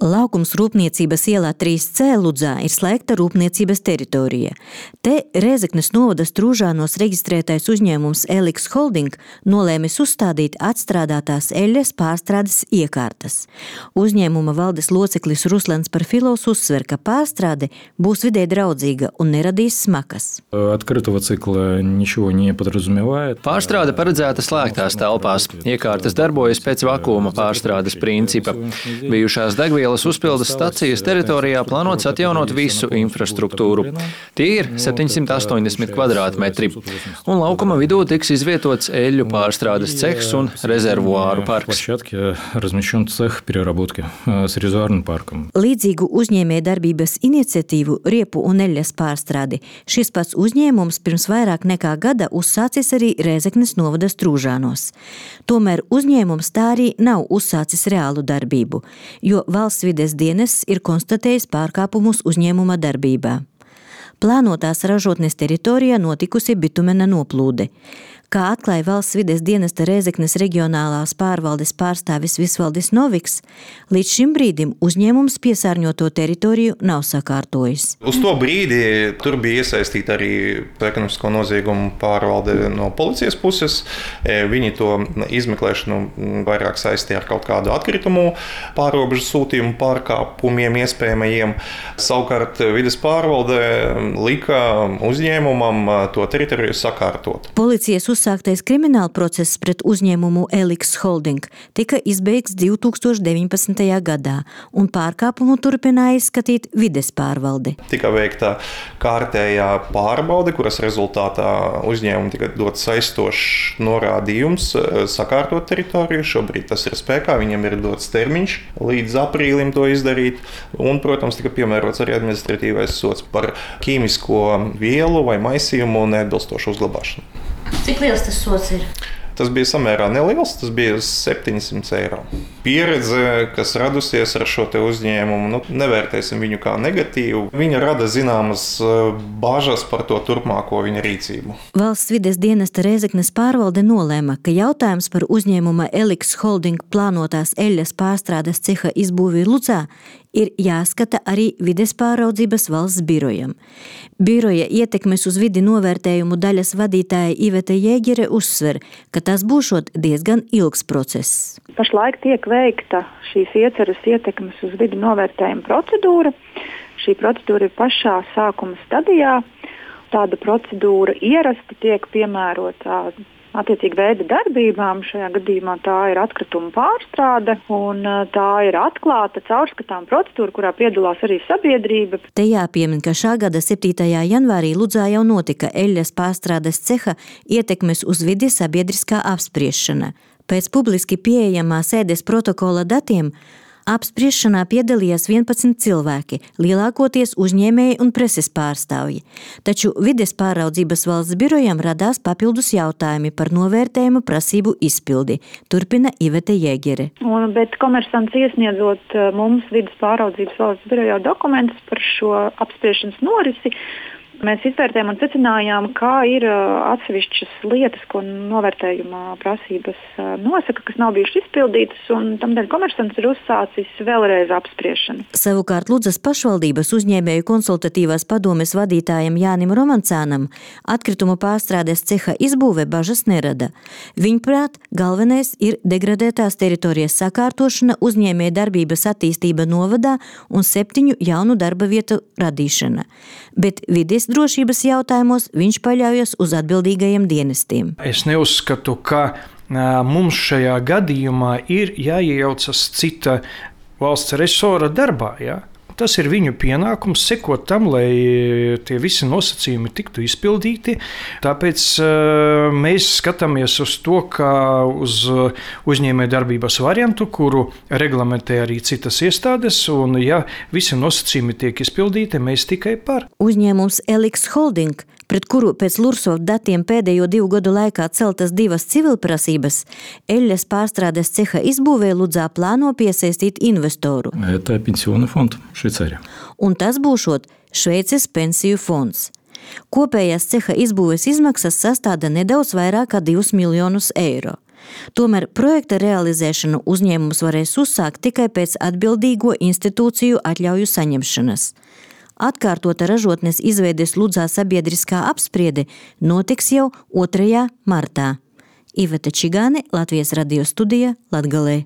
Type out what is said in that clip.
Laukums Rūpniecības ielā 3C Ludzā ir slēgta rūpniecības teritorija. Te Rēzeknes novada Strūžānos reģistrētais uzņēmums Eliks Holding nolēmis uzstādīt atstrādātās eļļas pārstrādes iekārtas. Uzņēmuma valdes loceklis Ruslans Parfilovs uzsver, ka pārstrāde būs vidē draudzīga un neradīs smakas. Pārstrāde paredzēta slēgtās telpās. Iekārtas darbojas pēc vakuma pārstrādes principa. Bijušās degvielas uzpildes stacijas teritorijā plānots atjaunot visu infrastruktūru. Tie ir 780 kvadrātmetri. Un laukuma vidū tiks izvietots eļļu pārstrādes cehs un rezervuāru parks. Līdzīgu uzņēmējdarbības iniciatīvu riepu un eļļas pārstrādi šis pats uzņēmums pirms vairāk nekā gada uzsācis arī Rēzeknes novada Strūžānos. Tomēr uzņēmums tā arī nav uzsācis reālu darbību, jo valsts vides dienests ir konstatējis pārkāpumus uzņēmuma darbībā. Plānotās ražotnes teritorijā notikusi bitumena noplūde. Kā atklāja valsts vides dienesta Rēzeknes reģionālās pārvaldes pārstāvis Visvaldis Noviks, līdz šim brīdim uzņēmums piesārņoto teritoriju nav sakārtojis. Uz to brīdi tur bija iesaistīta arī ekonomisko noziegumu pārvalde no policijas puses. Viņi to izmeklēšanu vairāk saistīja ar kaut kādu atkritumu pārrobežu sūtījumu pārkāpumiem iespējamajiem. Savukārt vides pārvalde lika uzņēmumam to teritoriju sakārtot. Policijas uzsāktais krimināla process pret uzņēmumu Eliks Holding tika izbeigts 2019. gadā, un pārkāpumu turpināja izskatīt vides pārvalde. Tika veikta kārtējā pārbaude, kuras rezultātā uzņēmumi tika dots saistošs norādījums sakārtot teritoriju. Šobrīd tas ir spēkā, viņiem ir dots termiņš līdz aprīlim to izdarīt, un, protams, tika piemērots arī administratīvais sods par ķīmisko vielu vai maisījumu neatbilstošu uzglabāšanu. Cik liels tas sods ir? Tas bija samērā neliels, tas bija 700 eiro. Pieredze, kas radusies ar šo te uzņēmumu, nevērtēsim viņu kā negatīvu. Viņa rada zināmas bažas par to turpmāko viņa rīcību. Valsts vides dienesta Rēzeknes pārvalde nolēma, ka jautājums par uzņēmuma Eliks Holding plānotās eļļas pārstrādes ceha izbūvi Ludzā ir jāskata arī vides pāraudzības valsts birojam. Biroja ietekmes uz vidi novērtējumu daļas vadītāja Iveta Jēgere uzsver, ka tas būšot diezgan ilgs process. Pašlaik tiek veikta šīs ieceras ietekmes uz vidi novērtējuma procedūra. Šī procedūra ir pašā sākuma stadijā. Tāda procedūra ierasti tiek piemērota attiecīgi veida darbībām. Šajā gadījumā tā ir atkrituma pārstrāde, un tā ir atklāta, caurskatām procedūra, kurā piedalās arī sabiedrība. Te jāpiemin, ka šā gada 7. janvārī Ludzā jau notika eļļas pārstrādes ceha ietekmes uz vidi sabiedriskā apspriešana. Pēc publiski pieejamā sēdes protokola datiem apspriešanā piedalījās 11 cilvēki, lielākoties uzņēmēji un preses pārstāvji. Taču vides pāraudzības valsts birojam radās papildus jautājumi par novērtējumu prasību izpildi, turpina Iveta Jēgere. Bet komersants iesniedzot mums vides pāraudzības valsts birojā dokumentus par šo apspriešanas norisi, mēs izvērtējām un secinājām, kā ir atsevišķas lietas, ko novērtējuma prasības nosaka, kas nav bijušas izpildītas, un tamdēļ komersants ir uzsācis vēlreiz apspriešanu. Savukārt Ludzas pašvaldības uzņēmēju konsultatīvās padomes vadītājam Jānim Romancānam atkritumu pārstrādes ceha izbūve bažas nerada. Viņprāt, galvenais ir degradētās teritorijas sakārtošana, uzņēmēju darbības attīstība novadā un 7 jaunu darba vietu radīšana. Bet vides drošības jautājumos viņš paļaujas uz atbildīgajiem dienestiem. Es neuzskatu, ka mums šajā gadījumā ir jāiejaucas cita valsts resora darbā. Ja? Tas ir viņu pienākums sekot tam, lai tie visi nosacījumi tiktu izpildīti. Tāpēc mēs skatāmies uz to, kā uz uzņēmējdarbības variantu, kuru reglamentē arī citas iestādes, un ja visi nosacījumi tiek izpildīti, mēs tikai par. Uzņēmums Eliks Holding, pret kuru pēc Lursov datiem pēdējo 2 gadu laikā celtas 2 civilprasības, eļļas pārstrādes ceha izbūvē Ludzā plāno piesaistīt investoru. Это пенсионный фонд Швейцарии. Un tas būšot Šveices pensiju fonds. Kopējās ceha izbūves izmaksas sastāda nedaudz vairāk kā 2 miljonus eiro. Tomēr projekta realizēšanu uzņēmums varēs uzsākt tikai pēc atbildīgo institūciju atļauju saņemšanas. Atkārtota ražotnes izveides Ludzā sabiedriskā apspriede notiks jau 2. martā. Iveta Čigāne, Latvijas radio studija, Latgalē.